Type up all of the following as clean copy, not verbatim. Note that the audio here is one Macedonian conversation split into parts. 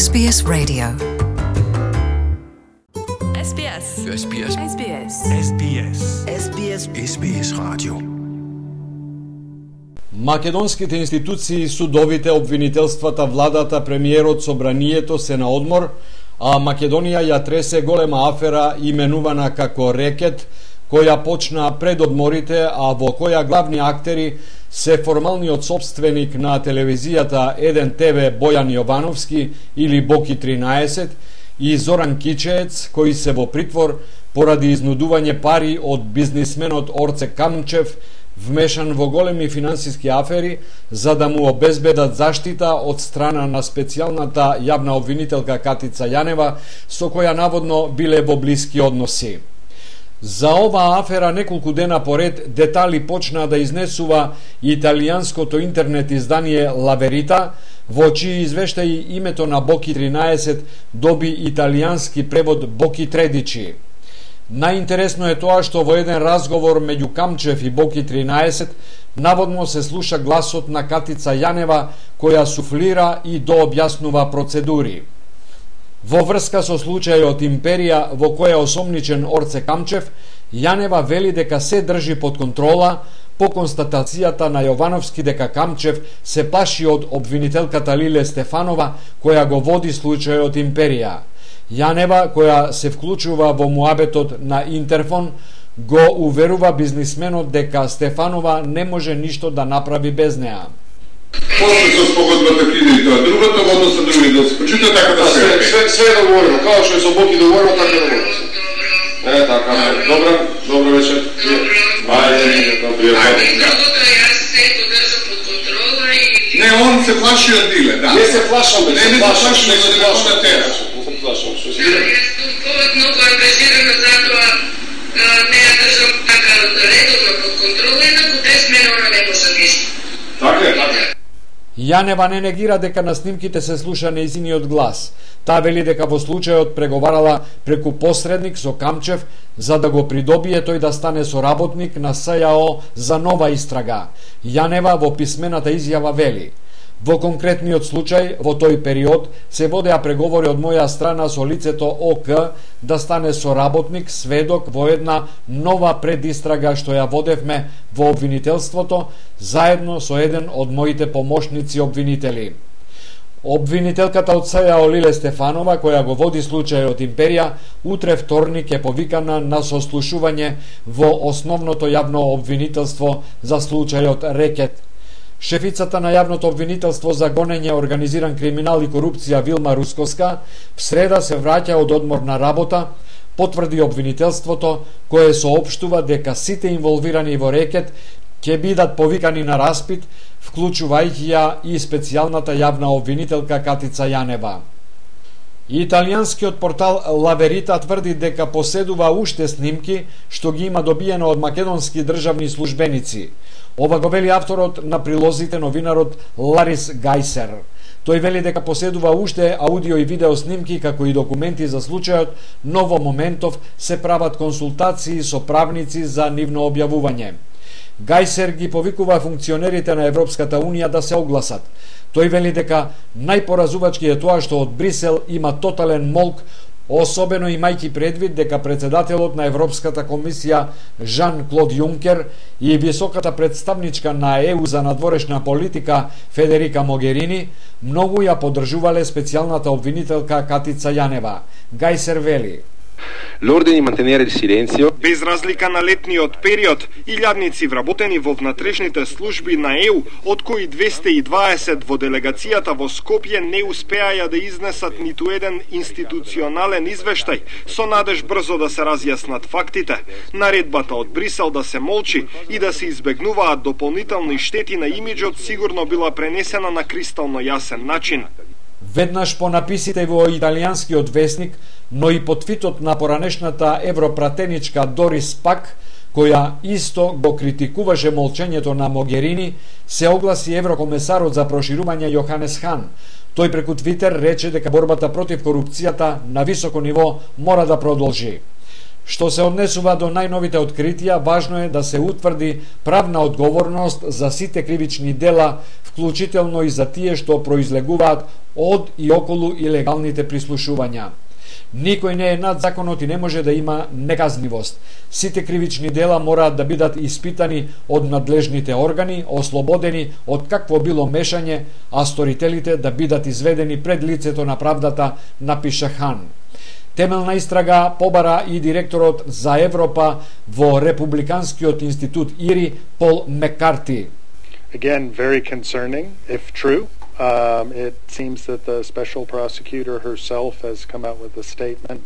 SBS Radio. SBS. SBS. SBS. SBS. SBS. SBS Radio. Македонските институции, судовите, обвинителствата, владата, премиерот, собранието се на одмор, а Македонија ја тресе голема афера именувана како рекет, која почна пред одморите, а во која главни актери се формалниот собственик на телевизијата 1 ТВ Бојан Јовановски или Боки 13 и Зоран Кичеец, кои се во притвор поради изнудување пари од бизнисменот Орце Камчев, вмешан во големи финансиски афери, за да му обезбедат заштита од страна на специјалната јавна обвинителка Катица Јанева, со која наводно биле во блиски односи. За оваа афера неколку дена поред детали почна да изнесува италијанското интернет издание La Verità, во чии извештаи името на Боки 13 доби италијански превод Боки Тредичи. Најинтересно е тоа што во еден разговор меѓу Камчев и Боки 13 наводно се слуша гласот на Катица Јанева, која суфлира и дообјаснува процедури. Во врска со случајот Империја, во која осомничен Орце Камчев, Јанева вели дека се држи под контрола по констатацијата на Јовановски дека Камчев се плаши од обвинителката Лиле Стефанова, која го води случајот Империја. Јанева, која се вклучува во муабетот на Интерфон, го уверува бизнисменот дека Стефанова не може ништо да направи без неа. После со спогодбата криде и тоа другото, во однос на други да се почита така да се... Све е договорено, као што е со Боки договорено, така е договорено. Така, добро вечер. Ајде, добро вечер. Јас се го држам под контрола и... Не, он се плаши од Диле, да. Не се плашам, не се плашам, не се плашам. Не се плашам, што си... Јас сум повод многу ангажирана, затоа не ја држам така редовно под контрола, инаку без мене она не може ништо. Така е, така е. Јанева не негира дека на снимките се слуша нејзиниот глас. Таа вели дека во случајот преговарала преку посредник со Камчев за да го придобие тој да стане соработник на СЈО за нова истрага. Јанева во писмената изјава вели: во конкретниот случај, во тој период, се водеа преговори од моја страна со лицето ОК да стане соработник, сведок во една нова предистрага што ја водевме во обвинителството, заедно со еден од моите помошници обвинители. Обвинителката од СЈО Лиле Стефанова, која го води случајот Империја, утре вторник е повикана на сослушување во основното јавно обвинителство за случајот Рекет. Шефицата на јавното обвинителство за гонење, организиран криминал и корупција Вилма Рускоска в среда се враќа од одмор на работа, потврди обвинителството, кое соопштува дека сите инволвирани во Рекет ќе бидат повикани на распит, вклучувајќи ја и специјалната јавна обвинителка Катица Јанева. Италијанскиот портал La Verità тврди дека поседува уште снимки што ги има добиено од македонски државни службеници. Ова го вели авторот на прилозите, новинарот Ларис Гајсер. Тој вели дека поседува уште аудио и видео снимки како и документи за случајот, но во моментов се прават консултации со правници за нивно објавување. Гајсер ги повикува функционерите на Европската Унија да се огласат. Тој вели дека најпоразувачки е тоа што од Брисел има тотален молк, особено имајќи предвид дека председателот на Европската комисија Жан-Клод Јункер и високата представничка на ЕУ за надворешна политика Федерика Могерини многу ја поддржувале специјалната обвинителка Катица Јанева. Гајсер вели: L'ordine di mantenere il silenzio. Без разлика на летниот период, илјадници вработени во внатрешните служби на ЕУ, од кои 220 во делегацијата во Скопје не успеаја да изнесат ниту еден институционален извештај, со надеж брзо да се разјаснат фактите. Наредбата од Брисел да се молчи и да се избегнуваат дополнителни штети на имиџот сигурно била пренесена на кристално јасен начин. Веднаш по написите во италијанскиот весник, но и под твитот на поранешната европратеничка Дорис Пак, која исто го критикуваше молчењето на Могерини, се огласи еврокомесарот за проширување Јоханес Хан. Тој преку Твитер рече дека борбата против корупцијата на високо ниво мора да продолжи. Што се однесува до најновите откритија, важно е да се утврди правна одговорност за сите кривични дела, вклучително и за тие што произлегуваат од и околу илегалните прислушувања. Никој не е над законот и не може да има неказнивост. Сите кривични дела мораат да бидат испитани од надлежните органи, ослободени од какво било мешање, а сторителите да бидат изведени пред лицето на правдата, напиша Хан. Темелна истрага побара и директорот за Европа во Републиканскиот институт ИРИ Пол Меккарти. Again, very concerning, if true. It seems that the special prosecutor herself has come out with a statement.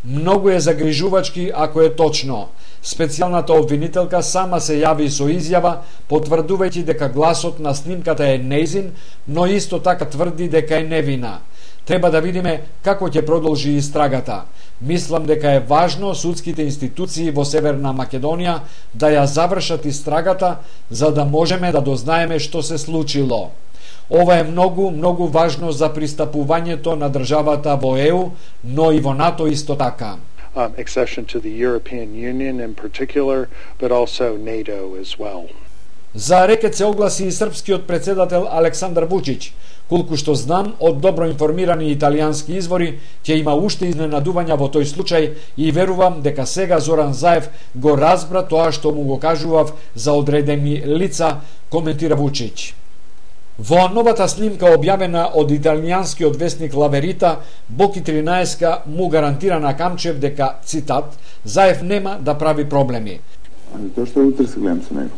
Многу е загрижувачки ако е точно. Специјалната обвинителка сама се јави со изјава, потврдувајќи дека гласот на снимката е нејзин, но исто така тврди дека е невина. Треба да видиме како ќе продолжи истрагата. Мислам дека е важно судските институции во Северна Македонија да ја завршат истрагата, за да можеме да дознаеме што се случило. Ова е многу важно за пристапувањето на државата во ЕУ, но и во НАТО исто така. Accession to the European Union in particular, but also NATO as well. За рекет се огласи и српскиот председател Александар Вучиќ. Колку што знам, од добро информирани италијански извори, ќе има уште изненадувања во тој случај и верувам дека сега Зоран Заев го разбра тоа што му го кажував за одредени лица, коментира Вучиќ. Во новата снимка објавена од италијанскиот весник Лаверита, Боки 13 му гарантира на Камчев дека, цитат, Заев нема да прави проблеми. Ами тоа што утре се гледам со него.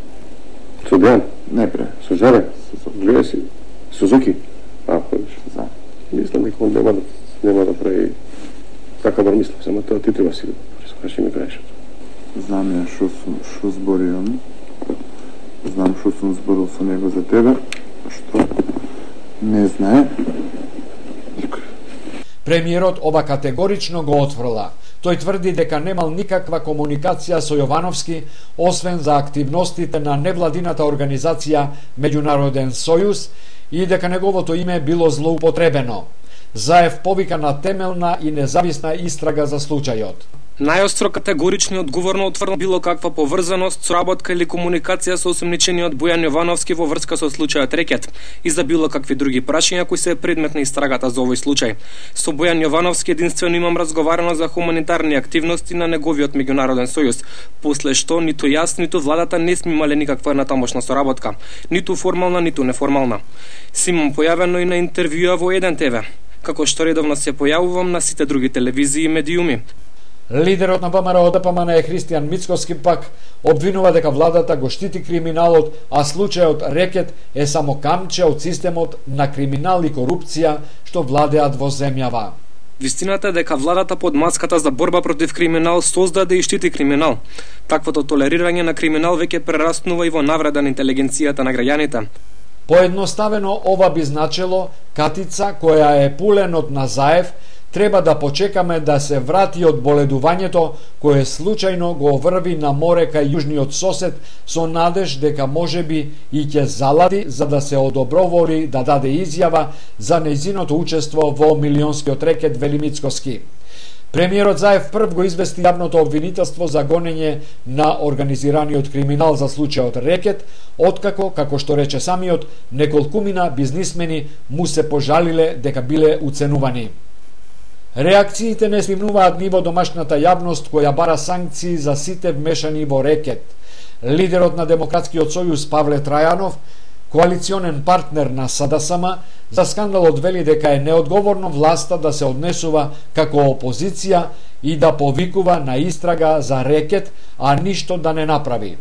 Со Дејан? Не пре. Со Жаре? Гледа си. Сузуки? Ходиш. Да. Мислам дека он нема да прави така бар мислам, само тоа ти треба си да скажи ми кажеш. Знам ја што збори он. Знам што сум зборил со него за тебе, што не знае никој. Премиерот ова категорично го отфрла. Тој тврди дека немал никаква комуникација со Јовановски, освен за активностите на невладината организација Меѓународен сојуз и дека неговото име било злоупотребено. Заев повика на темелна и независна истрага за случајот. Најостро категорично и одговорно отврдно било каква поврзаност, соработка или комуникација со осомничениот Бојан Јовановски во врска со случајот Рекет и за било какви други прашања кои се предмет на истрагата за овој случај. Со Бојан Јовановски единствено имам разговарано за хуманитарни активности на неговиот Меѓународен сојуз, после што ниту јас, ниту владата не сме имале никаква натамошна соработка, ниту формална, ниту неформална. Си имам појавено и на интервјуа во 1 ТВ, како што редовно се појавувам на сите други телевизии и медиуми. Лидерот на ВМРО ДПМН е Христијан Мицкоски пак обвинува дека владата го штити криминалот, а случајот Рекет е само камче од системот на криминал и корупција што владеат во земјава. Вистината е дека владата под маската за борба против криминал создаде и штити криминал. Таквото толерирање на криминал веќе прераснува и во навреда на интелигенцијата на граѓаните. Поедноставено ова би значело катица која е пуленот на Заев треба да почекаме да се врати од боледувањето кое случајно го врви на море кај јужниот сосед со надеж дека можеби и ќе залади за да се одобровори да даде изјава за нејзиното учество во милионскиот рекет, вели Мицкоски. Премиерот Заев прв го извести јавното обвинителство за гонење на организираниот криминал за случајот Рекет, откако, како што рече самиот, неколкумина бизнисмени му се пожалиле дека биле уценувани. Реакциите не снимнуваат ни во домашната јавност која бара санкции за сите вмешани во Рекет. Лидерот на Демократскиот сојуз Павле Трајанов, коалиционен партнер на СДСМ, за скандалот вели дека е неодговорно власта да се однесува како опозиција и да повикува на истрага за Рекет, а ништо да не направи.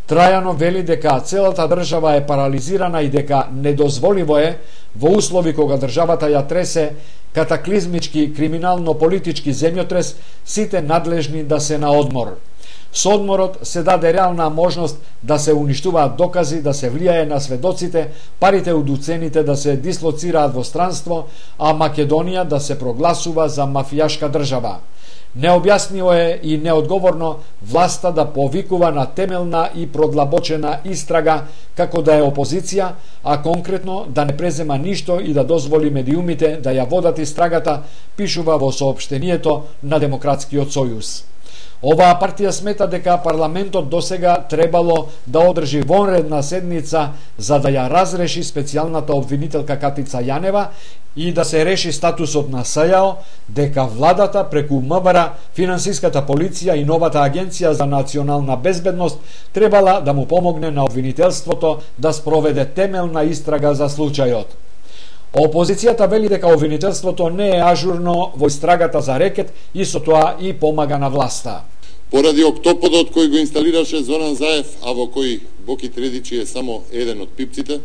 Трајанов вели дека целата држава е парализирана и дека недозволиво е во услови кога државата ја тресе катаклизмички криминално-политички земјотрес сите надлежни да се на одмор. Со одморот се даде реална можност да се уништуваат докази, да се влијае на сведоците, парите од уцените да се дислоцираат во странство, а Македонија да се прогласува за мафијашка држава. Необјасниво е и неодговорно власта да повикува на темелна и продлабочена истрага како да е опозиција, а конкретно да не презема ништо и да дозволи медиумите да ја водат истрагата, пишува во соопштението на Демократскиот сојуз. Оваа партија смета дека парламентот досега требало да одржи вонредна седница за да ја разреши специјалната обвинителка Катица Јанева и да се реши статусот на СЈАО, дека владата преку МВР, финансиската полиција и новата агенција за национална безбедност требала да му помогне на обвинителството да спроведе темелна истрага за случајот. Опозицијата вели дека обвинителството не е ажурно во истрагата за рекет и со тоа и помага на власта. Поради октоподот кој го инсталираше Зоран Заев, а во кој Боки Тредичи е само еден од пипците,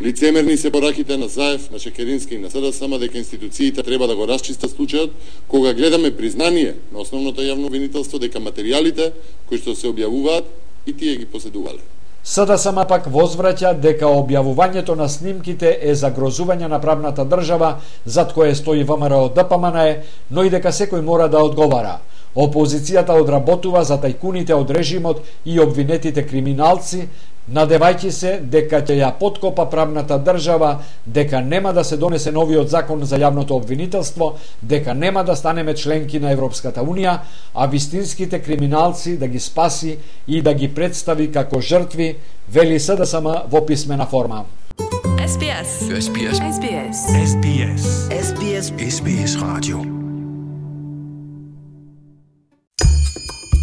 лицемерни се пораките на Заев, на Шекерински и на СДСМ дека институциите треба да го расчистат случајот, кога гледаме признание на основното јавно обвинителство дека материјалите кои што се објавуваат и тие ги поседувале. СДСМ пак возвраќа дека објавувањето на снимките е загрозување на правната држава зад кое стои ВМРО ДПМНЕ, но и дека секој мора да одговара. Опозицијата одработува за тајкуните од режимот и обвинетите криминалци, надевајќи се дека ќе ја поткопа правната држава, дека нема да се донесе новиот закон за јавното обвинителство, дека нема да станеме членки на Европската Унија, а вистинските криминалци да ги спаси и да ги представи како жртви, вели СДСМ во писмена форма. SBS. SBS. SBS. SBS. SBS. SBS Radio.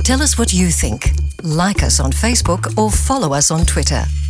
Tell us what you think. Like us on Facebook or follow us on Twitter.